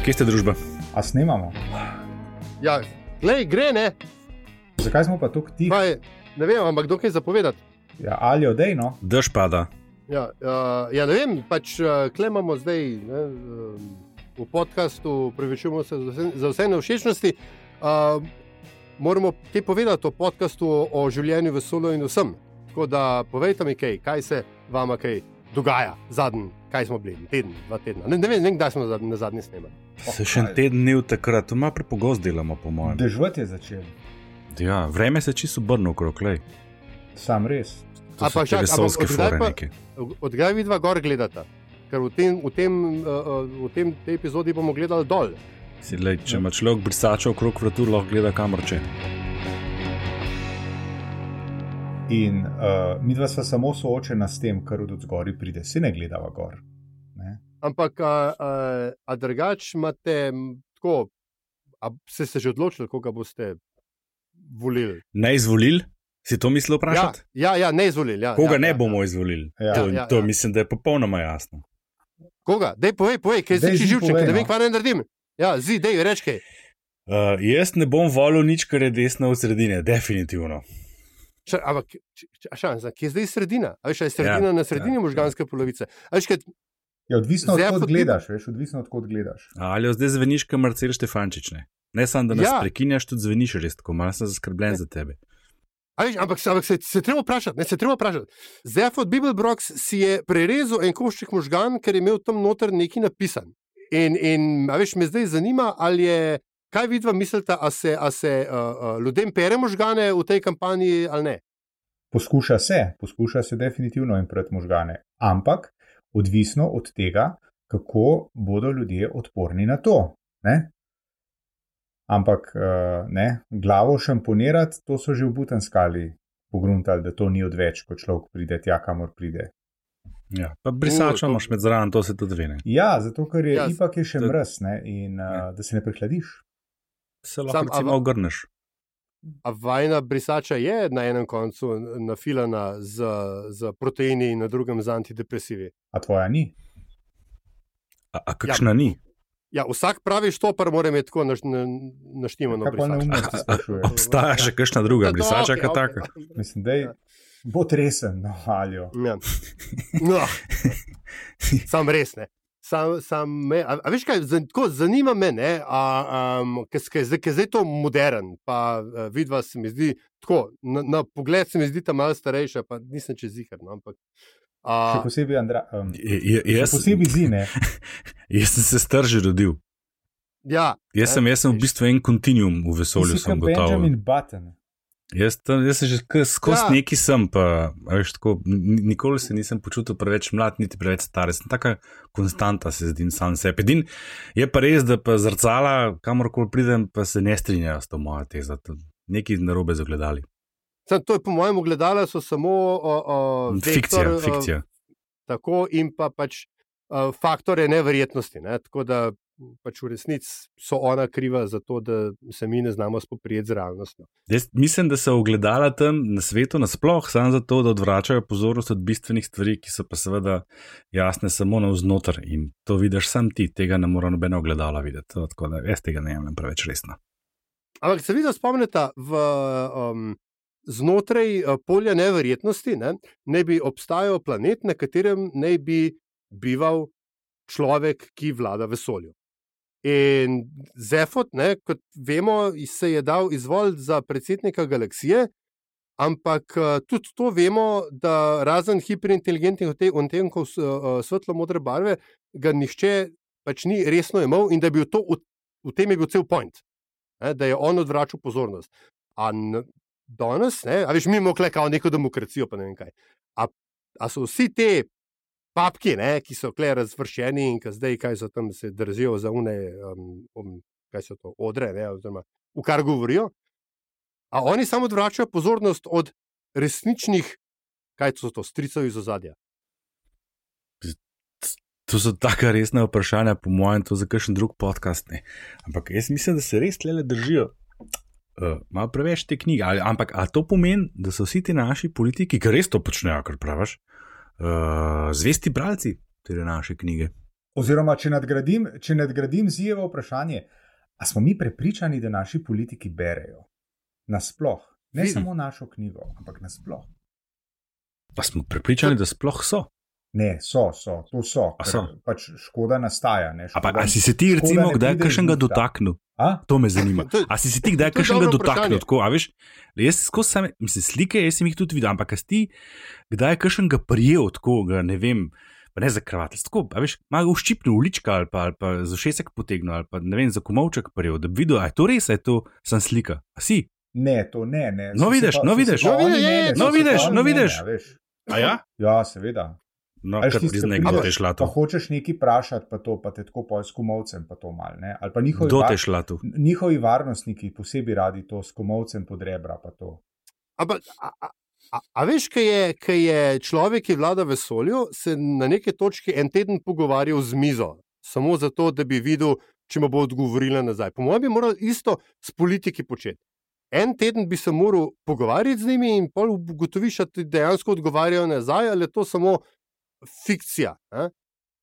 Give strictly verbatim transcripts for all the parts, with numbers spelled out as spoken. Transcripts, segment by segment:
Kje ste družba? A snemamo? Ja, glej, gre, ne? Zakaj smo pa tukaj tiho? Pa je, ne vem, ampak dokaj zapovedati. Ja, ali odej, no? Dež pada. Ja, uh, ja, ne vem, pač uh, klemamo zdaj ne, um, v podcastu, prevečujemo se za vse, za vse nevšečnosti. Uh, moramo kaj povedati o podcastu o življenju v vesolju in vsem. Tako da povejte mi kaj, kaj se vama kaj dogaja zadnji, kaj smo bili, teden, dva tedna. Ne, ne vem, ne vem, kdaj smo na zadnji snemali. Se še en teden dni v takrat, to malo prepogost delamo, po mojem. Dežvat je začel. Ja, vreme se čisto obrne okrog, lej. Sam res. To so te vesolske fore neke. Od kdaj vidva gor gledata? Ker v tem, v tem, uh, v tem tej epizodi bomo gledali dol. Si, lej, če ima človek brisača okrog vratu, lahko gleda kamor če. In uh, midva sva samo soočena s tem, kar od zgori pride. Se ne gledava gor. Ne? Ampak, a, a, a drugač imate tako, a ste se že odločili, koga boste volili? Ne izvolili? Si to mislil vprašati? Ja, ja, ja, ne izvolili. Ja, koga ja, ne ja, bomo ja. izvolili? Ja. To, Ja, ja, to ja. mislim, da je popolnoma jasno. Koga? Dej, povej, povej, kaj Dej, si zi živčen, povej, da vem, no. kva ne naredim. Ja, zi, dej, reč kaj. Uh, jaz ne bom volil nič, kar je desno od sredine, definitivno. Ša, ampak, č- č- a šansa, kje je zdaj sredina? A veš, a je sredina Ja, na sredini ja, možganske polovice? A veš, kaj, Ja, odvisno od Zdaj, kod pot- gledaš, veš, odvisno od kod gledaš. Ali jo zdaj zveniš, kot Marcel Štefančič, ne? Ne samo, da nas Ja. prekinjaš, tudi zveniš res tako, malo sem zaskrbljen za tebe. a veš, ampak, ampak se, se treba vprašati, ne, se treba vprašati. Zefod Bibelbrox si je prerezal en košček možgan, ker je imel tam noter nekaj napisan. In, in a veš, me zdaj zanima, ali je, kaj vidva mislite, a se, a se uh, uh, ljudem pere možgane v tej kampanji ali ne? Poskuša se, poskuša se definitivno impreti možgane, ampak odvisno od tega, kako bodo ljudje odporni na to. Ne? Ampak uh, ne, glavo šamponirati, to so že v Butanskali pogruntali, da to ni odveč, ko človek pride tja, kamor pride. Ja, pa brisača U, to- imaš med zraven, to se tudi vene. Ja, zato ker je Ja, ipak je še to- mraz, ne, in uh, Ja. da se ne prehladiš. Se lahko Sam, a recimo va- ogrneš. A vajna brisača je na enem koncu nafilana z, z proteini in na drugem z antidepresivi. A tvoja ni? A, a kakšna ni? Ja, vsak pravi štopar mora imeti tako naš, na, naštimano Kaj pa brisačo. neumnosti sprašuješ? Obstaja še kakšna druga Ja, brisača, okej, kot okej. taka? Mislim, da je bo tresen, no, aljo. Ja. No. Sam res ne. Sam, sam me, a, a veš kaj, zan, tako, zanima me, ne, a, um, ker je zdaj to modern, pa uh, vidva se mi zdi tako, na, na pogled se mi zdi ta malo starejša, pa nisem čez zihar, no, ampak. Še A, posebej, Andra, um, Je- je- še Jaz, posebej zine. jaz sem se star že rodil. ja, Jaz sem, jaz sem v bistvu en kontinuum v vesolju, Ti si sem kot gotovo. Benjamin Button. Jaz, tam, jaz sem že k- skozi Ja. ja. neki sem, pa a veš, tako, n- nikoli se nisem počutil preveč mlad, niti preveč star. Sem taka konstanta, se zdi sam sebi. Edin je pa res, da pa zrcala, kamorkoli pridem, pa se ne strinjajo s to mojo tezo. To- Nekaj narobe zagledali. sam, to je po mojem ogledalu so samo o, o, Fikcija, vektor, o, fikcija. tako in pa pač uh, faktore neverjetnosti. Ne? Tako da pač v resnici so ona kriva za to, da se mi ne znamo spoprijeti z realnostjo. Jaz mislim, da so ogledala tam na svetu nasploh samo zato, da odvračajo pozornost od bistvenih stvari, ki so pa seveda jasne samo navznoter in to vidiš sam ti, tega ne mora nobena ogledala videti. To, tako da jaz tega ne jemljem preveč resno. Ampak se vidi, spomnite, v, um, znotraj uh, polja neverjetnosti ne, ne bi obstajal planet, na katerem ne bi bival človek, ki vlada vesolju. In Zefod, ne, kot vemo, se je dal izvoliti za predsednika galaksije, ampak uh, tudi to vemo, da razen hiperinteligentnih odtenkov uh, svetlo-modre barve, ga nihče pač ni resno imel in da bi to, v, v tem je bil cel point. Ne, da je on odvračal pozornost. A n- danes, ne, a veš, mi imamo tukaj kao neko demokracijo, pa ne vem kaj. A, a so vsi te papki, ne, ki so tukaj razvršeni in ki zdaj kaj so tam se držijo za une, um, um, kaj so to, odre, ne, oziroma v kar govorijo, a oni samo odvračajo pozornost od resničnih, kaj so to, stricev iz ozadja. To so taka resna vprašanja, po mojem, to za kakšen drug podcast. Ne. Ampak jaz mislim, da se res tlele držijo uh, malo preveč te knjige. Ali, ampak a to pomeni, da so vsi ti naši politiki, ki res to počnejo, kar praviš, uh, zvesti bralci te naše knjige? Oziroma, če nadgradim, če nadgradim Zijevo vprašanje, a smo mi prepričani, da naši politiki berejo? Nasploh. Ne Vidim. samo našo knjigo, ampak nasploh. Pa smo prepričani, da sploh so. Ne, so, so, to so. A so? Pač škoda nastaja. Ne, A, pa, škoda, a si se ti recimo kdaj kakšnega dotaknil? A? To me zanima. To je- A si se ti kdaj to je kakšnega dobro dotaknil? vprašanje. Tako, a veš, jaz skozi same, mislim, slike, jaz sem jih tudi videl, ampak a si ti kdaj kakšnega prijel, tako, ga, ne vem, pa ne za kravatel, tako, a veš, malo uščipnil ulička ali pa, ali pa za šesek potegnil ali pa ne vem, za komovček prijel, da bi videl, a je to res, a je to sem slika. A si? Ne, to ne. ne. No, So se vidiš, pa- no, so se vidiš. pa No, oni vidiš, je, mene, je, so no, se pa vidiš, oni no, mene, vidiš. a veš. A ja? Ja, seveda. No, A veš, kar tisti, priznaj, ki kdo prideš, te je šla Pa tu. hočeš nekaj vprašati, pa to, pa te tako poj s komovcem, pa to mal, ne. Ali pa njihovi, Kdo var- te je šla tu? njihovi varnostniki posebej radi to s komovcem pod rebra, pa to. Ampak, a, a, a, a veš, kaj je, kaj je človek, ki vlada vesolju, se na neki točki en teden pogovarjal z mizo, samo zato, da bi videl, če mu bo odgovorila nazaj. Po mojem bi morali isto s politiki početi. En teden bi se moral pogovarjati z njimi in pol ugotoviš, da ti dejansko odgovarjajo nazaj, ali je to samo fikcija. Ne?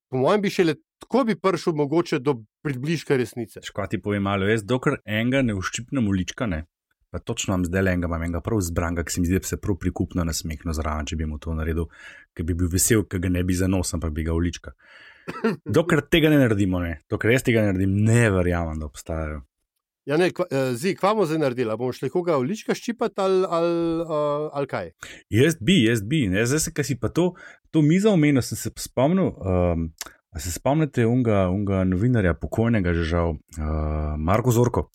Po mojem bi šele tako bi prišel mogoče do približka resnice. Škoda ti povem malo, jaz dokler enega ne uščipnem ulička, ne, pa točno imam zdaj enega, imam enega prav zbranga, ki se mi zdi, da bi se prav prikupno nasmehnil zraven, če bi mu to naredil, ker bi bil vesel, ker ga ne bi za nos, ampak bi ga ulička. Dokler tega ne naredimo, ne, dokler jaz tega ne naredim, ne verjamem, da obstajajo. Ja, ne, kva, eh, zi, kva bomo zdaj naredili? A bomo šli koga ulička ščipati ali, ali, uh, ali kaj? Jaz bi, jaz bi, ne, zdaj se, kaj si pa to, to mizo omenil, sem se spomnil, um, a se spomnite unga, unga novinarja, pokojnega že žal, uh, Marko Zorko.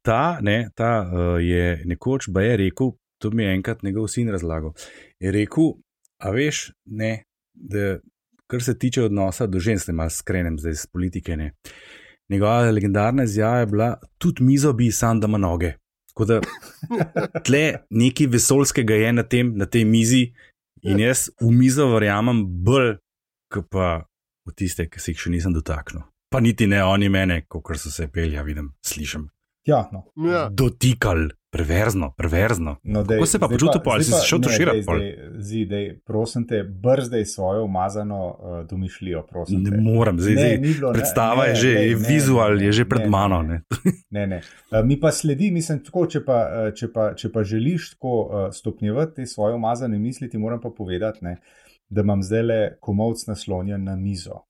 Ta, ne, ta uh, je nekoč ba je rekel, to mi je enkrat njegov sin razlagal, je rekel, a veš, ne, da kar se tiče odnosa do žensk, ne malo skrenem zdaj z politike, ne, njegova legendarna izjava je bila, tudi mizo bi sam dama noge. Tako da tle nekaj vesoljskega je na, tem, na tej mizi in jaz v mizo verjamem bolj, kot pa v tiste, ki se jih še nisem dotaknil. Pa niti ne oni mene, kot so se pelja, vidim, slišim. Ja, no. Ja. Dotikal, perverzno, perverzno. No, dej, Kako se pa zdaj počutil pol? zdaj Si se šel ne, tuširati dej, pol? zdaj, Zi, dej, prosim te, brzdej svojo umazano uh, domišljijo, prosim Ne te. moram, zdaj, Ne, zdaj ni bilo, ne, predstava ne, je že, lej, je ne, vizual ne, je že ne, pred ne, mano. ne, Ne. Ne, ne. Uh, mi pa sledi, mislim, tako, če pa, uh, če pa, če pa želiš tako uh, stopnjevati te svoje umazane misli, ti moram pa povedati, ne, da imam zdaj le komovc naslonjen na mizo.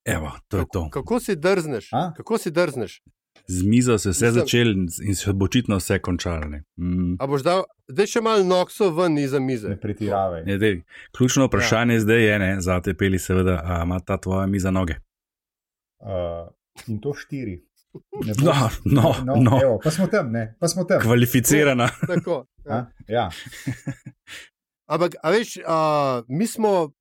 Evo, to je to. Kako si drzneš? A? Kako si drzneš? Z mizo se je vse Mislim- začelo in se bo očitno vse končalo. ne. Mm. A boš dal, zdaj še malo nokso ven iza mize. Ne pretiravaj. Ne, dej, ključno vprašanje ja. zdaj je, ne, za te peli seveda, a ima ta tvoja miza noge? Uh, in to štiri. Ne No, no, no, no. Evo, pa smo tam, ne, pa smo tam. Kvalificirana. Tako, A? ja. Ja. Ampak, a veš, a, mi smo,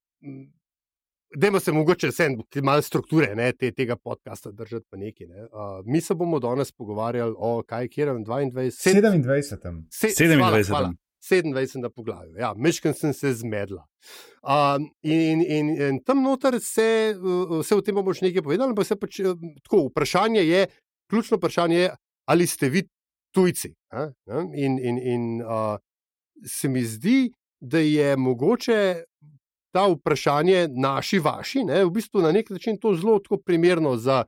dajmo se mogoče vse malo strukture ne, te, tega podcasta držati pa neki. Ne. A, mi se bomo danes pogovarjali o kaj, kjer je dvaindvajset, sedemindvajsetem. se, sedemindvajsetem. hvala, hvala. sedemindvajsetem poglavju. Ja, mečkam sem se zmedla. Um, in, in, in tam noter se, uh, se o tem bomo še nekaj povedali, ampak se pač uh, tako, vprašanje je, ključno vprašanje je, ali ste vi tujci. A? In, in, in uh, se mi zdi, da je mogoče ta vprašanje naši, vaši, ne, v bistvu na nek način to zelo tako primerno za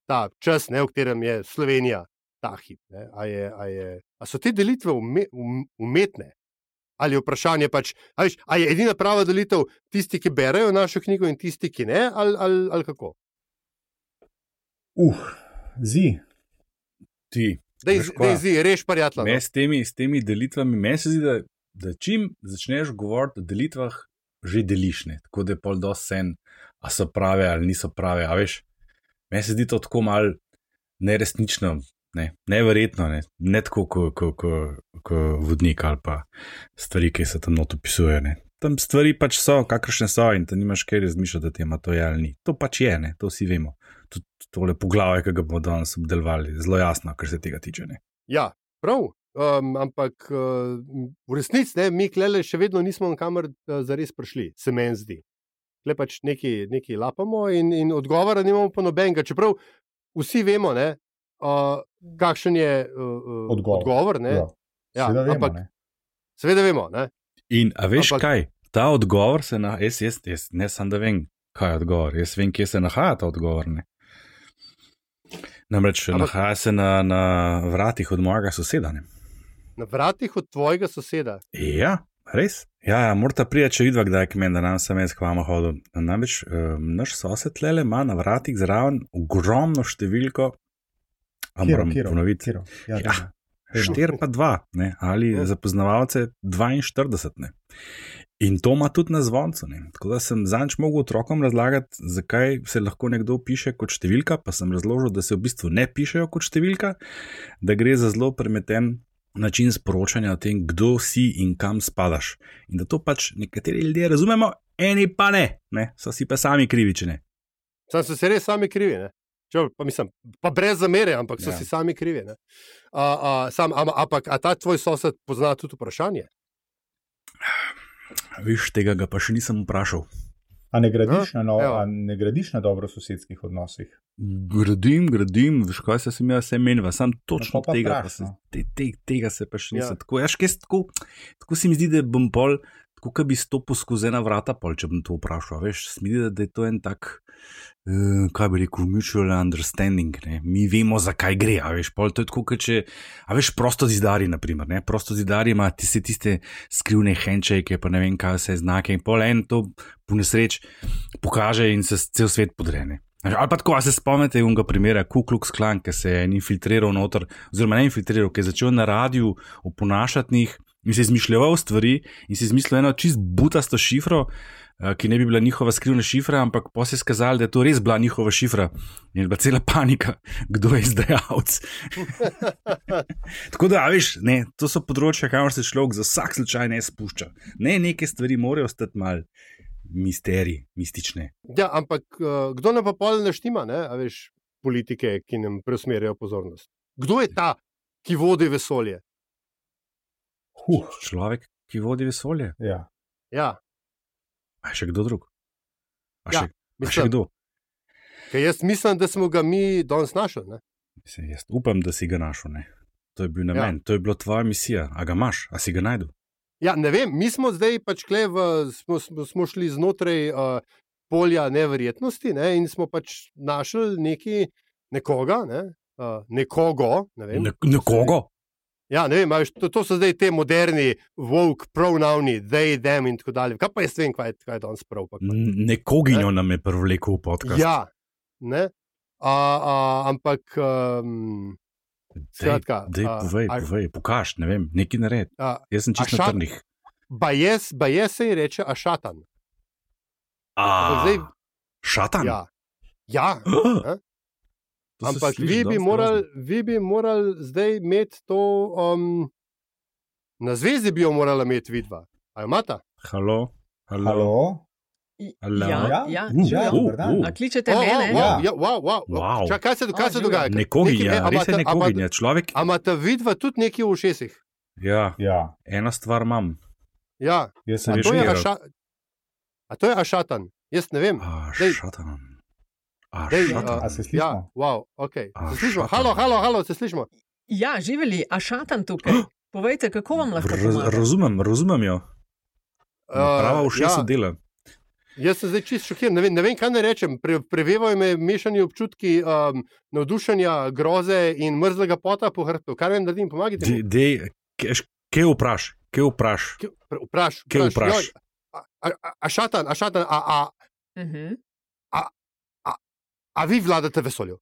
ta čas, ne, v katerem je Slovenija ta hip. Ne. A, je, a, je, a so te delitve ume, um, umetne? Ali je vprašanje pač, a, veš, a je edina prava delitev tisti, ki berejo našo knjigo in tisti, ki ne, ali, ali, ali kako? Uh, zi. Ti. Dej, veš kva, dej zi, reš parjatla. me No. s temi, s temi delitvami, meni se zdi, da, da čim začneš govoriti o delitvah, že deliš, ne. Tako da je pol dosti sen, a so prave ali niso prave, a veš, meni se zdi to tako mal neresnično, ne, neverjetno, ne, ne tako kot ko, ko, ko vodnik ali pa stvari, ki se tam not opisuje, ne. Tam stvari pač so, kakršne so in ti nimaš kaj razmišljati, da ti ima to je ali ni. To pač je, ne, to vsi vemo. Tudi tole poglavje, ki ga bomo danes obdelovali, zelo jasno, kar se tega tiče, ne. Ja, prav. Um, ampak uh, v resnici ne, mi klele še vedno nismo kamor uh, zares prišli, se meni zdi. Tle pač nekaj, nekaj lapamo in, in odgovora nimamo pa nobenega. Čeprav vsi vemo, ne, uh, kakšen je uh, Odgovor. odgovor ne. Ja. Ja, Seveda vemo, ampak ne. seveda vemo. Ne. In a veš Ampak- kaj, ta odgovor se na, jaz, jaz, jaz ne sam da vem, Kaj je odgovor? Jaz vem, kje se nahaja ta odgovor. Ne? Namreč Ampak... nahaja se na, na vratih od mojega soseda. Ne? Na vratih od tvojega soseda? Ja, res. Ja, ja morata prija, če vidva, kdaj je k meni, da nam sem jaz k vama hodil. Namreč um, naš sosed tlele ima na vratih zraven ogromno številko, a Kiro, moram kiro, ponoviti. Kiro. Ja, Ja. Štir pa dva, ne? Ali Ja. za poznavalce dvainštirideset. Ne? In to ima tudi na zvoncu. Ne? Tako da sem zanč mogel otrokom razlagati, zakaj se lahko nekdo piše kot številka, pa sem razložil, da se v bistvu ne pišejo kot številka, da gre za zelo premeten način sporočanja o tem, kdo si in kam spadaš. In da to pač nekateri ljudje razumemo, eni pa ne, ne? So si pa sami krivi, če ne. Sam so se res sami krivi, ne? Čel, pa, mislim, pa brez zamere, ampak so Ja. si sami krivi. Ne? A, a, sam, a, ampak a ta tvoj sosed pozna tudi vprašanje? Viš, tega ga pa še nisem vprašal. A ne gradiš, Ja, na, no, evo. a ne gradiš na dobrososedskih odnosih? Gradim, gradim, veš kaj se sem jaz vse menil, sam točno No, pa tega, vpraš, pa se, no. te, te, tega se pa še nisem. Ja. Ja. Tako, jaš, kaj, tako, tako se mi zdi, da bom pol, tako kot bi stopil skozi ena vrata, pol, če bom to vprašal. Veš, se mi zdi, da je to en tak, uh, kaj bi rekel, mutual understanding. Ne? Mi vemo, zakaj gre. A veš, pol, to je tako, kot če, a veš, prosto zidari, naprimer. Ne? Prosto zidari ima tiste, tiste skrivne handshake, pa ne vem, kaj vse znake. In pol en to po nesreč pokaže in se cel svet podrene. Ali pa tako, a se spomnite unga primera Ku Klux Klan, ki se je infiltriral noter, oziroma ne infiltriral, ki je začel na radiju oponašati njih in se izmišljal stvari in se izmislil eno čist butasto šifro, eh, ki ne bi bila njihova skrivna šifra, ampak pa se je skazalo, da je to res bila njihova šifra in je bila cela panika, kdo je izdajalec. Tako da, a veš, ne, to so področja, kamor se človek za vsak slučaj ne spušča. Ne, neke stvari morajo ostati mal misterij, mistične. Ja, ampak uh, kdo nam pa pol ne štima, ne? A veš, politike, ki nam preusmerjajo pozornost? Kdo je ta, ki vodi vesolje? Huh, Človek, ki vodi vesolje. ja. Ja, A še kdo drug? A Ja, še, a še mislim, kdo? ker jaz mislim, da smo ga mi danes našli. Ne? Mislim, jaz upam, da si ga našel. Ne? To je bil Ja. namen, ja. To je bila tvoja misija. A ga imaš, a si ga najdu? Ja, ne vem, mi smo zdaj pač kle v, smo, smo, smo šli znotraj uh, polja neverjetnosti, ne, in smo pač našli neki, nekoga, ne, uh, nekogo. Ne vem, Ne, nekoga? Ja, ne vem, a veš, to, to so zdaj te moderni woke pronavni, they, them in tako dalje. Kaj pa jaz vem, kaj, je- kaj je danes prav? Pa, N- Nekoginjo Ne? nam je privlekel v podcast. ja, ne. A, a, ampak, um, skratka, Dej, a, povej, a- povej, pokaž, ne vem, nekaj nared. a, Jaz sem čisto a na šat- trnih. bajes, bajes se ji reče ašatan. Ampak A, zdaj, šatan? ja, ja. Ah, to se Ampak sliši vi bi, dosti morali, grozno. vi bi morali zdaj imeti to, um, na zvezi bi jo morala imeti vidva. A jo imata? Halo, halo. Halo? Halo. Ja, Ja? ja, Uh, živijo. uh, dober dan. uh. A kličete O, o, mene? wow, Ja. ja, wow, wow. Wow. Čak, kaj se, kaj A, se živjo. dogaja? Nekoginja, Nekaj- res je a imata- nekoginja. Človek, A imata vidva tudi nekaj v ušesih? ja, Ja, ena stvar imam. Ja, jaz Se sem veš, to je Živijo. aša, a to je ašatan. Jaz ne vem. A, Dej. šatan. A, Dej, šatan. a se slišimo? Ja, wow, okay. A, Se slišimo? šatan. Halo, halo, halo, se slišimo? Ja, živeli, a šatan tukaj. Povejte, kako vam lahko Raz, pomagam? razumem, razumem jo. Prava Uh, ušesa ja, dela. jaz sem zdaj čist šokiran, ne vem, ne vem kaj naj rečem. Pre, prevevajo me mešani občutki um, navdušenja, groze in mrzlega pota po hrbtu. Kaj naj naredim, pomagajte mi. Dej, kje vpraš, kje vpraš. Kje- pre- Vpraš, Kje vpraš, vpraš? joj, a, a, a- a šatan, a šatan, a, a, Mhm. a vi vladate vesolju?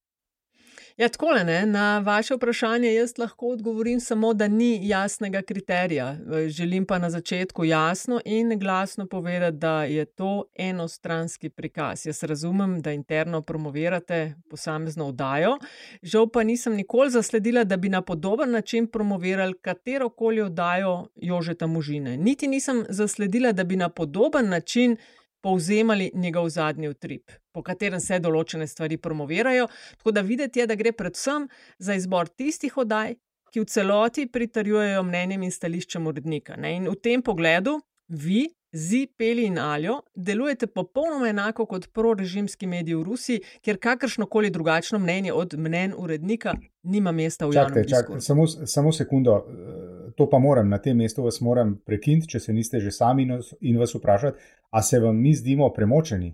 Ja, takole, ne, na vaše vprašanje jaz lahko odgovorim samo, da ni jasnega kriterija. Želim pa na začetku jasno in glasno povedati, da je to enostranski prikaz. Jaz razumem, da interno promovirate posamezno oddajo, žal pa nisem nikoli zasledila, da bi na podoben način promovirali katerokoli oddajo Jožeta Možine. Niti nisem zasledila, da bi na podoben način povzemali njegov zadnji utrip, po katerem se določene stvari promovirajo. Tako da videti je, da gre predvsem za izbor tistih oddaj, ki v celoti pritrjujejo mnenjem in stališčem urednika. Ne? In v tem pogledu vi, Zi, Peli in Aljo, delujete popolnoma enako kot prorežimski mediji v Rusiji, kjer kakršnokoli drugačno mnenje od mnenj urednika nima mesta v Čakajte, javnem čak, diskurzu. samo, samo sekundo, eh, to pa moram, na tem mestu vas moram prekiniti, če se niste že sami nos- in vas vprašati, a se vam mi zdimo premočeni?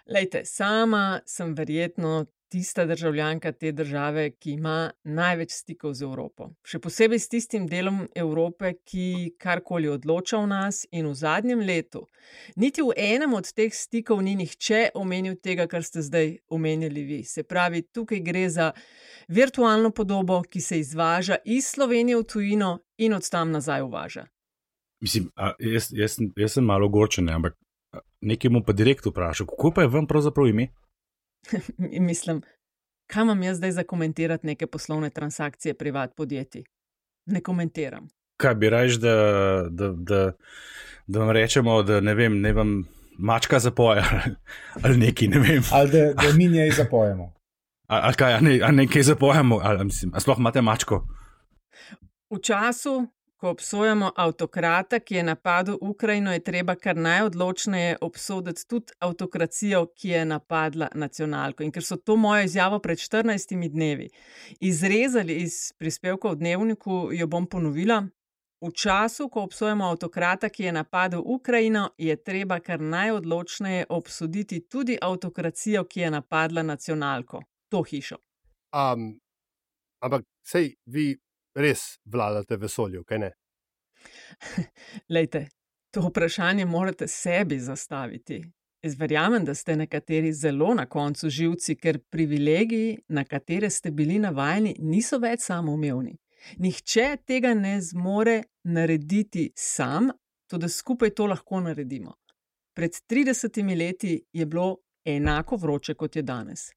Lejte, sama sem verjetno tista državljanka te države, ki ima največ stikov z Evropo. Še posebej s tistim delom Evrope, ki karkoli odloča o nas, in v zadnjem letu niti v enem od teh stikov ni nihče omenil tega, kar ste zdaj omenili vi. Se pravi, tukaj gre za virtualno podobo, ki se izvaža iz Slovenije v tujino in od tam nazaj uvaža. Mislim, a, jaz, jaz, sem- jaz sem malo ogorčen, ampak a, nekaj mu pa direkt vprašal, kako pa je vam pravzaprav ime? In mislim, kaj imam jaz zdaj za komentirati neke poslovne transakcije privat podjetij? Ne komentiram. Kaj bi raje, da, da, da, da vam rečemo, da ne vem, ne vam mačka zapoja ali nekaj, ne vem. Ali da, da mi njej zapojemo. Ali, ali kaj, ali, ne, ali nekaj zapojamo, ali, mislim, ali sploh imate mačko. V času, ko obsojamo avtokrata, ki je napadel Ukrajino, je treba kar najodločneje obsoditi tudi avtokracijo, ki je napadla nacionalko. In ker so to mojo izjavo pred štirinajstimi dnevi izrezali iz prispevka v Dnevniku, jo bom ponovila. V času, ko obsojamo avtokrata, ki je napadel Ukrajino, je treba kar najodločneje obsoditi tudi avtokracijo, ki je napadla nacionalko, to hišo. Um, ampak sej vi res vladate vesolju, kaj ne? Lejte, to vprašanje morate sebi zastaviti. Jaz verjamem, da ste nekateri zelo na koncu živci, ker privilegiji, na katere ste bili navajeni, niso več samoumevni. Nihče tega ne zmore narediti sam, tudi skupaj to lahko naredimo. Pred tridesetimi leti je bilo enako vroče, kot je danes.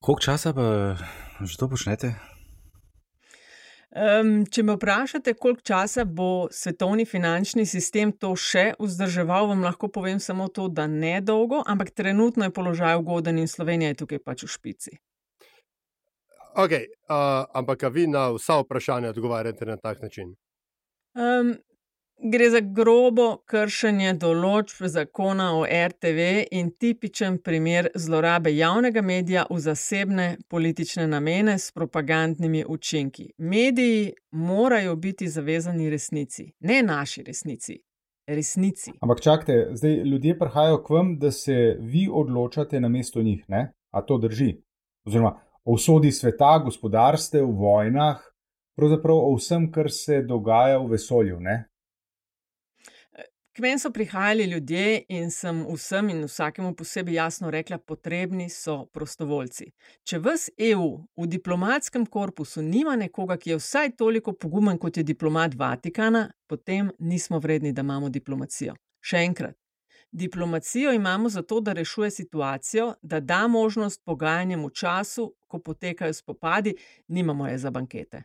Koliko časa pa že to počnete? Um, če me vprašate, koliko časa bo svetovni finančni sistem to še vzdrževal, vam lahko povem samo to, da ne dolgo, ampak trenutno je položaj ugoden in Slovenija je tukaj pač v špici. Ok, uh, ampak a vi na vsa vprašanja odgovarjate na tak način? Um, gre za grobo kršenje določb zakona o R T V in tipičen primer zlorabe javnega medija v zasebne politične namene s propagandnimi učinki. Mediji morajo biti zavezani resnici, ne naši resnici, resnici. Ampak čakajte, zdaj ljudje prihajajo k vam, da se vi odločate namesto njih, ne? A to drži? Oziroma o usodi sveta, gospodarstev, vojnah, pravzaprav o vsem, kar se dogaja v vesolju, ne? K meni so prihajali ljudje in sem vsem in vsakemu posebej jasno rekla, potrebni so prostovoljci. Če ves E U v diplomatskem korpusu nima nekoga, ki je vsaj toliko pogumen, kot je diplomat Vatikana, potem nismo vredni, da imamo diplomacijo. Še enkrat, diplomacijo imamo zato, da rešuje situacijo, da da možnost pogajanjem v času, ko potekajo spopadi, nimamo je za bankete.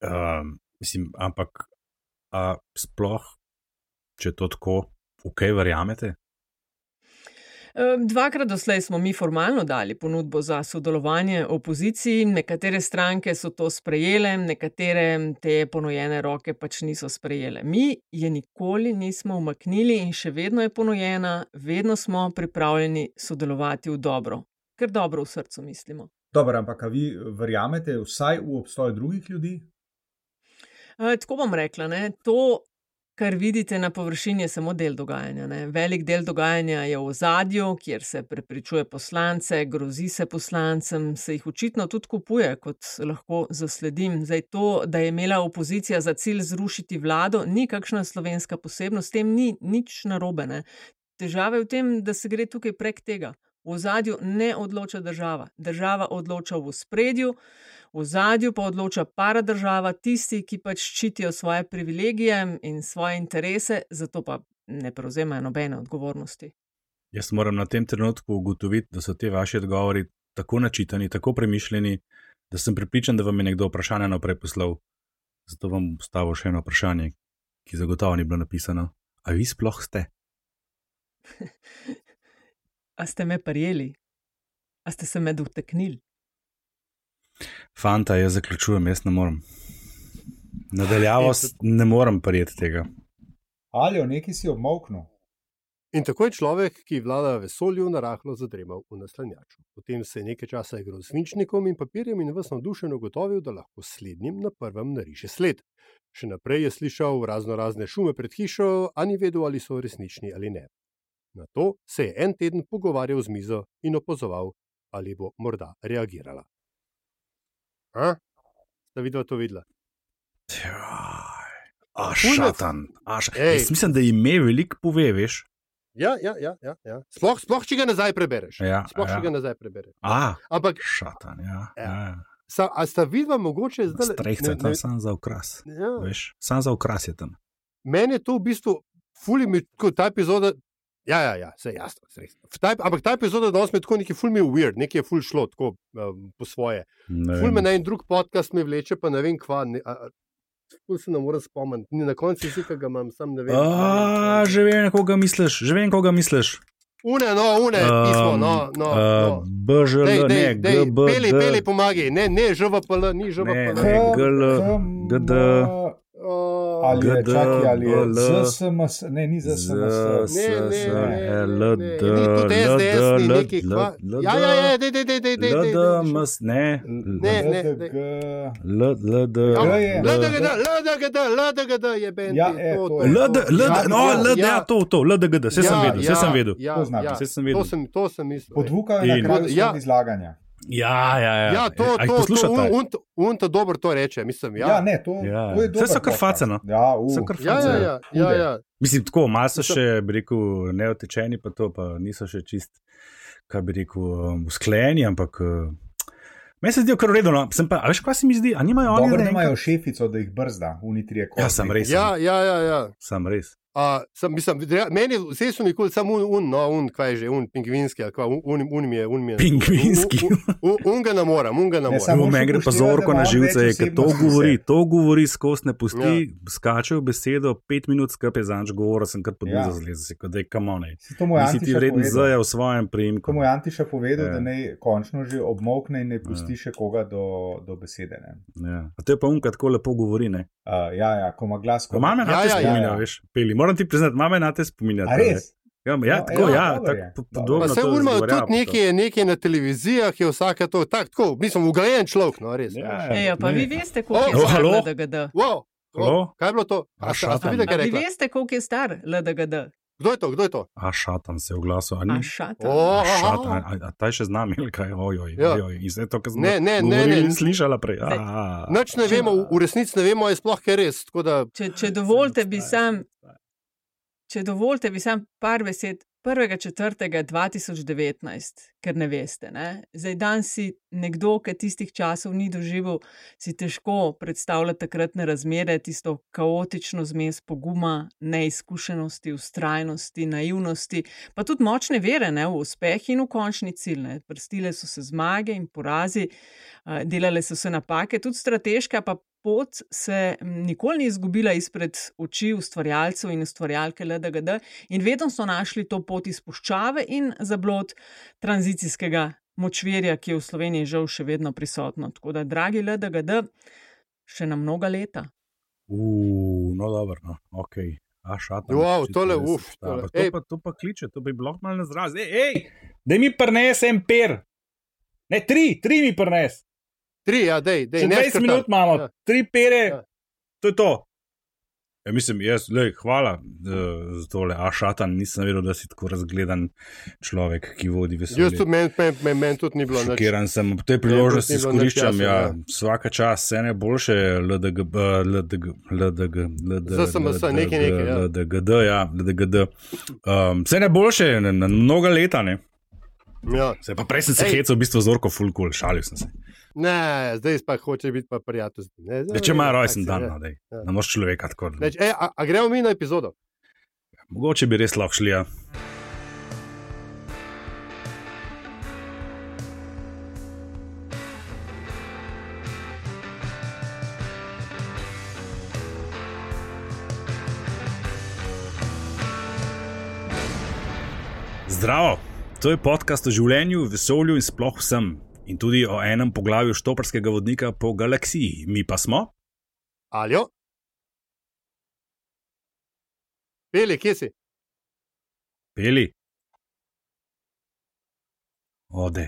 Um, mislim, ampak a sploh, če to tako, v kaj verjamete? Um, Dvakrat doslej smo mi formalno dali ponudbo za sodelovanje opoziciji, nekatere stranke so to sprejele, nekatere te ponujene roke pač niso sprejele. Mi je nikoli nismo umaknili in še vedno je ponujena, vedno smo pripravljeni sodelovati v dobro, ker dobro v srcu mislimo. Dobro, ampak a vi verjamete vsaj v obstoj drugih ljudi? Uh, tako bom rekla, ne, to, kar vidite na površini, je samo del dogajanja. Ne. Velik del dogajanja je v ozadju, kjer se prepričuje poslance, grozi se poslancem, se jih očitno tudi kupuje, kot lahko zasledim. Zdaj to, da je imela opozicija za cilj zrušiti vlado, ni kakšna slovenska posebnost, s tem ni nič narobe. Ne. Težava je v tem, da se gre tukaj prek tega. V ozadju ne odloča država. Država odloča v ospredju, v ozadju pa odloča paradržava, tisti, ki pač ščitijo svoje privilegije in svoje interese, zato pa ne prevzemajo nobene odgovornosti. Jaz moram na tem trenutku ugotoviti, da so te vaši odgovori tako načitani, tako premišljeni, da sem prepričan, da vam je nekdo vprašanje naprej poslal. Zato vam bom postavil še eno vprašanje, ki zagotovo ni bilo napisano. A vi sploh ste? A ste me prijeli? A ste se me dotaknili? Fanta, jaz zaključujem, jaz ne morem. Nadaljavo s- ne morem prijeti tega. Ali o neki si obmolknil? In tako je človek, ki vlada vesolju, narahlo zadremal v naslanjaču. Potem se je nekaj časa igral s svinčnikom in papirjem in ves navdušen ugotovil, da lahko slednjim na prvem nariše sled. Še naprej je slišal razno razne šume pred hišo, a ni vedel, ali so resnični ali ne. Na to se je en teden pogovarjal z mizo in opazoval, ali bo morda reagirala. A? Sta videla to videla? A šatan. A ša... Jaz mislim, da ime veliko pove, veš. Ja, ja, ja, ja, ja. Sploh, sploh, če ga nazaj prebereš. Ja, sploh, ja. če ga nazaj prebereš. A, Ampak, šatan, ja. ja. ja. Sa, a sta videla mogoče zdaj? Strehca je tam sam za okras. Ja. Veš, sam za okras je tam. Meni je to v bistvu, fuli mi, tako ta epizoda, ja, ja, ja, vse jasno, strehca. Ampak ta epizoda danes mi je tako neki ful mi je weird, neki je ful šlo tako um, po svoje. Ful me na en drug podcast mi vleče, pa ne vem kva, ne, a, ful se ne morem spomniti, na koncu si, ki ga imam, sam ne vem. A, že vem, koga misliš, že vem, koga misliš. Une, no, une, um, pismo, no, no. Uh, B Ž L, ne, G B D. Peli, peli, pomagi, ne, ne, Ž V P L, ni Ž V P L. Ne, ne, G L, G D. Ali je, čaki, ali je Z S M S, ne, ni Z S M S. Ne, ne, ne, L, D, ni tudi S D S, ni L, neki kva. Ja, ja, ja, dej, dej, dej, dej, dej. L, D, M, S, ne. Ne, ne, L, D, G. L, L, D. L, D, G, D, L, D, G, D, L, D, G, D je bend. Ja, e, to je. L, D, L, D, no, L, D, ja, to, to, L, D, G, D, vse sem vedel, vse sem vedel. Ja, ja, Vse sem vedel. to sem, to sem mislil. Podvukal je na In- kraju Ja. svojega izlaganja. Ja, ja, ja. Ja, to, A jih to, to, poslušate? un, un to dobro to reče, mislim, Ja, ja. ne, to, Ja. to je Saj dobro. so kar face, no. Ja, uh. So kar Ja, ja, ja, ja, Hude. ja. Mislim, tako, malo so še, bi rekel, neotečeni, pa to, pa niso še čist, kaj bi rekel, um, usklajeni, ampak uh, meni se zdijo kar v redu. No. Sem pa, a veš, kaj se mi zdi? A nimajo oni Dobro, da ne imajo šefico, da jih brzda, unitrije kot. Ja, sem res. Ja, ja, ja, ja. Sem res. A, sem, mislim, rea- meni vse so nikoli samo un, un, no, un, kaj je že, un pingvinski, ali kva, un, un, un mi je, un mi je. Pingvinski. Un, un, un, un ga ne morem, un ga ne Ne, morem. samo Samo še meni gre pa upoštevaj, zorko da na ima živce, več ker to osebnosti govori, vse. to govori skozi ne pusti, Ja. skače v besedo, pet minut skupaj zanč govora, sem kar pod Ja. mizo zlezel, kot da je kamone. To mu je Nisi ti Antiša vreden povedal. zaja v svojem priimku. To mu je Antiša povedal, Ja. da naj končno že obmokne in ne pusti še koga do, do besede. Ne? Ja. A to je pa unka tako lepo govori, ne? Uh, ja, ja, ko ima glas. Ko mame na Ja, te ja, ja, spominja, ja. veš, peli. Moram ti priznati, mame na te spominja. A res? Ja, ja, No, tako, ja, ja, dobro tako je. po- Dobro. podobno. Pa se to urmajo izgovarjava tudi pa to. nekaj, nekaj na televizijah, je vsake to, tak, tako, mislim, ugrajen človek, no, res. Ja, veš. ja. Ejo, pa Ne. vi veste, koliko Oh, je star halo? L D G D. Wow, Halo? wow, kaj je bilo to? A, A, ste- a ste šatan. videli, kaj A je vi rekla? veste, koliko je star L D G D? Kdo je to, kdo je to? A šatan se je oglasil, a A ni? šatan. O, A šatan, a, a ta je še z nami, ali kaj, ojoj, Ja. ojoj. In zdaj to, kar smo Ne, ne, ne, govorili, ne. slišala prej. A, Nič ne vemo, v- v resnici ne vemo, je sploh kaj res. Tako da, Če, če dovolite, bi sam, če dovolite, bi sam par besed prvega četrtega dva tisoč devetnajst, ker ne veste. Ne? Zdaj, dan si nekdo, ki tistih časov ni doživel, si težko predstavlja takratne razmere, tisto kaotično zmes poguma, neizkušenosti, ustrajnosti, naivnosti, pa tudi močne vere ne, v uspeh in v končni cilj. Ne. Prstile so se zmage in porazi, a, delale so se napake, tudi strateška pa pot se m, nikoli ni izgubila izpred oči ustvarjalcev in ustvarjalke L D G D in vedno so našli to pot iz puščave in zablod tranzicijskega močvirja, ki je v Sloveniji žal še vedno prisotno. Tako da, dragi L D G D, še na mnoga leta. Uh, no, dobro, no, ok. A šatan. Wow, očitno tole, res uf, obstaja. tole. Pa To, Ej. pa, to pa kliče, to bi bilo malo na zraz. Ej, ej, da mi prinese en per. Ne, tri, tri mi prinese. tri, ja, dej, dej. Še ne dvajset skrtar. minut imamo, Ja. tri pere, Ja. to je to. Ja, mislim, jaz, lej, hvala uh, za tole, a šatan, nisem vedel, da si tako razgledan človek, ki vodi Jaz vesolje. tudi, meni men, men, men tudi ni bilo nič. Šokiran sem, ob tej priložnosti ni bilo nič izkoriščam, jasno, ja, ja. vsaka čas, vse najboljše, L D G, L D G, L D G, L D G, Z S M S, nekaj, nekaj, ja. L D G D, ja, L D G D. Um, vse najboljše, na, na mnoga leta, ne. Ja. Se pa prej sem se Ej. hecal, v bistvu zorko full cool, šalil sem se. Ne, zdaj pa hoče biti pa prijatelj. z njim, ne. Zdaj, Ja, če ima tak rojsten si, dan, ja. no, dej. Ja. Ne moreš človeka tako. Neč, ej, a, a gremo mi na epizodo? Mogoče bi res lahko šli, ja. Zdravo, to je podcast o življenju, vesolju in sploh vsem. In tudi o enem poglavju štoparskega vodnika po galaksiji. Mi pa smo? Aljo? Peli, kje si? Peli. Ode,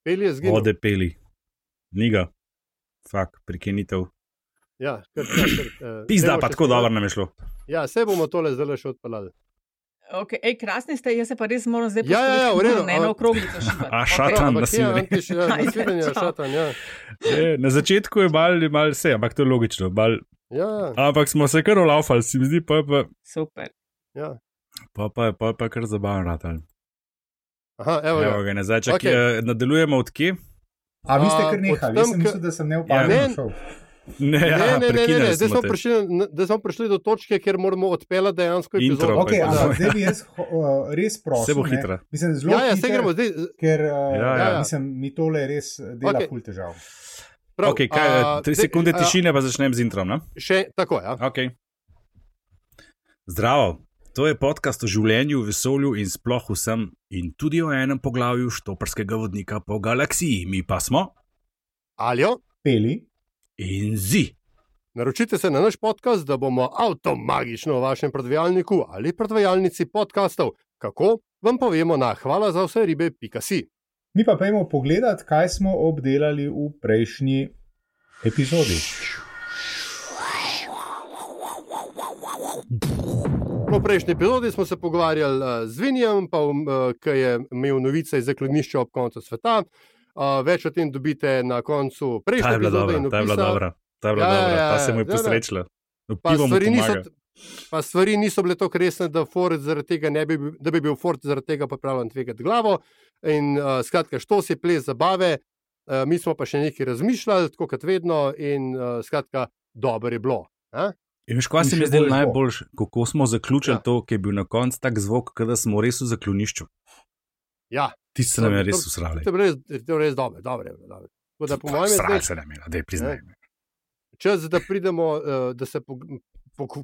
Peli je zginil. ode peli. Niga. Fak, prekinitev. Ja, kar, kar, kar, uh, Pizda, pa tako dobro nam je šlo. Ja, vse bomo tole zdaj še odpeljali. Okay. Ej, krasni ste, jaz se pa res moram zdaj Ja, ja, ja, v redu. ne na okroglico šibati. A, šatan Ampak je nasilje. antiš, ja, Ajde, naslednje je čau. šatan, ja. Je, na začetku je mal, mal vse, ampak to je logično. Mal, Ja, ja, ampak smo se kar olaufali, se mi zdi, pa je pa, Super. ja. pa, pa, pa, pa kar zabavno ratal. Aha, evo Evo ga. ga, ne, zdaj, čak, Okej. okay. Nadaljujemo od kje? A vi ste A, kar nehali, od jaz tam, sem k- mislil, da sem Ja, neopaženo ne. šel. Ne, ja, Ne, ne, ne, ne, prekinili ne. Zdaj smo smo, te. prišli, zdaj smo prišli do točke, kjer moramo odpeljati dejansko Intro. epizodo. Okay, pa- ampak zdaj bi jaz uh, res prosil. Vse bo ne. hitro. Mislim, zelo Ja, ja, hiter, se gremo zdaj. ker uh, Ja, ja. mislim, mi tole res dela Okej. ful težav. Prav, Okay, kaj, a, tri zdaj, sekunde a, tišine, pa začnem z introm. Ne? Še tako, ja. Okay. Zdravo, to je podcast o življenju, vesolju in sploh vsem, in tudi o enem poglavju štoparskega vodnika po galaksiji. Mi pa smo Aljo, Peli, in zi. naročite se na naš podcast, da bomo avtomagično v vašem predvajalniku ali predvajalnici podcastov. Kako? Vam povemo na hvala za vse ribe pika si. mi pa pojmo pogledat, kaj smo obdelali v prejšnji epizodi. V prejšnji epizodi smo se pogovarjali uh, z Vinjem, pa, um, uh, ki je imel novice iz zaklonišča ob koncu sveta. Uh, več o tem dobite na koncu Ta prejšnje je bila epizode. dobra, in ta je bila opisa. dobra. Ta je bila Ja, ja, dobra, ja, ta se mu je ja, ja. posrečila. Pa Pivo mu stvari, niso, pomaga. pa stvari niso bile tako resne, da, Ford zaradi tega ne bi, bil- da bi bil Ford zaradi tega pripravljen tvegati glavo. In uh, skratka, što si ples zabave, uh, mi smo pa še nekaj razmišljali, tako kot vedno, in uh, skratka, dobro je bilo. A? In veš, kaj In se mi še je zdelo bolj bo. najboljše, kako smo zaključili Ja. ja. to, ki je bil na koncu tak zvok, kot da smo res v zaklonišču. Ja, Ti se nam je res To- usrali. to je bilo res, to je bilo res dobro. dobro, je bilo, dobro. Tako da, po mojem, je Srali zdaj se nam je, da je priznaj. čas, da pridemo, uh, da se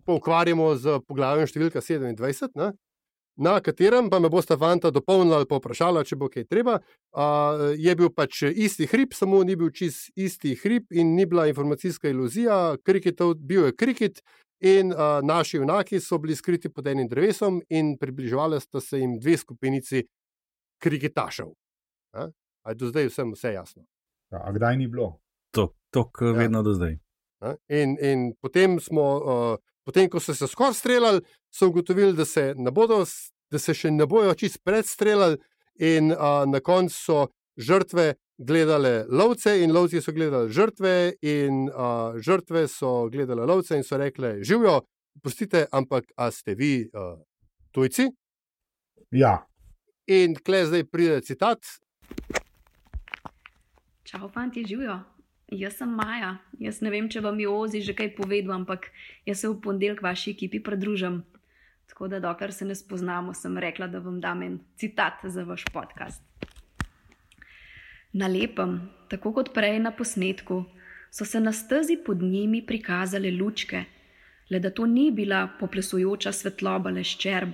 poukvarjamo z poglavjem številka sedemindvajset, ne? Na katerem pa me bosta fanta dopolnila ali pa vprašala, če bo kaj treba. Uh, je bil pač isti hrib, samo ni bil čist isti hrib in ni bila informacijska iluzija. Kriketov, bil je kriket in uh, naši junaki so bili skriti pod enim drevesom in približevali sta se jim dve skupinici kriketašev. A? A je do zdaj vsem vse jasno? Ja, a kdaj ni bilo? To, to Ja. ja. vedno do zdaj. Ne? In, in potem, smo, uh, potem, ko so se skoraj streljali, so ugotovili, da se, ne bodo, s- da se še ne bojo čist predstreljali, in uh, na koncu so žrtve gledale lovce, in lovci so gledali žrtve, in uh, žrtve so gledale lovce in so rekle: Živijo, pustite, ampak a ste vi uh, tujci? Ja, In kle zdaj pride citat. Čau, fanti, živijo. Jaz sem Maja. Jaz ne vem, če vam je Ozi že kaj povedal, ampak jaz se v ponedeljek vaši ekipi pridružim. Tako da, dokler se ne spoznamo, sem rekla, da vam dam en citat za vaš podcast. Na lepem, tako kot prej na posnetku, so se na stezi pod njimi prikazale lučke, le da to ni bila poplesujoča svetloba le ščerb,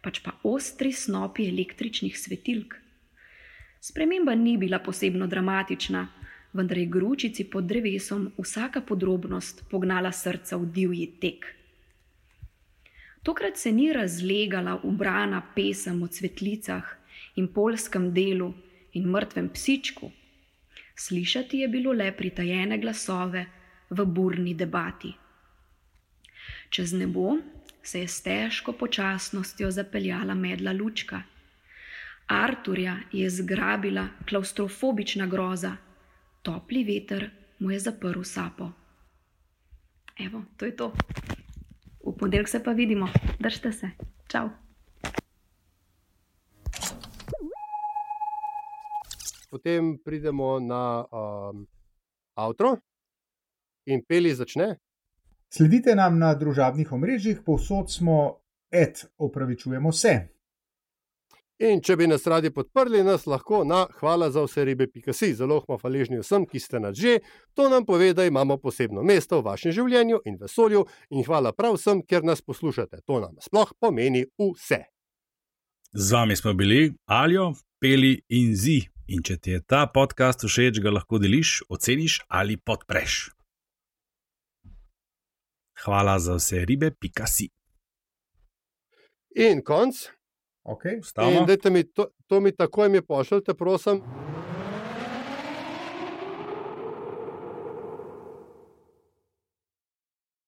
pač pa ostri snopi električnih svetilk. Sprememba ni bila posebno dramatična, vendar je gručici pod drevesom vsaka podrobnost pognala srca v divji tek. Tokrat se ni razlegala ubrana pesem o cvetlicah in poljskem delu in mrtvem psičku. Slišati je bilo le pritajene glasove v burni debati. Čez nebo se je s težko počasnostjo zapeljala medla lučka. Arturja je zgrabila klaustrofobična groza, topli veter mu je zaprl sapo. Evo, to je to. V ponedeljek se pa vidimo. Držite se. Čau. Potem pridemo na um, outro in Peli začne. sledite nam na družabnih omrežjih, povsod smo, et, opravičujemo se. In če bi nas radi podprli, nas lahko na hvala za vse ribe pika si. Zelo smo hvaležni vsem, ki ste nas že. To nam pove, da imamo posebno mesto v vašem življenju in vesolju, in hvala prav vsem, ker nas poslušate. To nam sploh pomeni vse. Z vami smo bili Aljo, Peli in Zi. In če ti je ta podcast všeč, ga lahko deliš, oceniš ali podpreš. Hvala za vse ribe pika si. In konc. Okay. In dajte mi to, to mi takoj mi pošljite, prosim.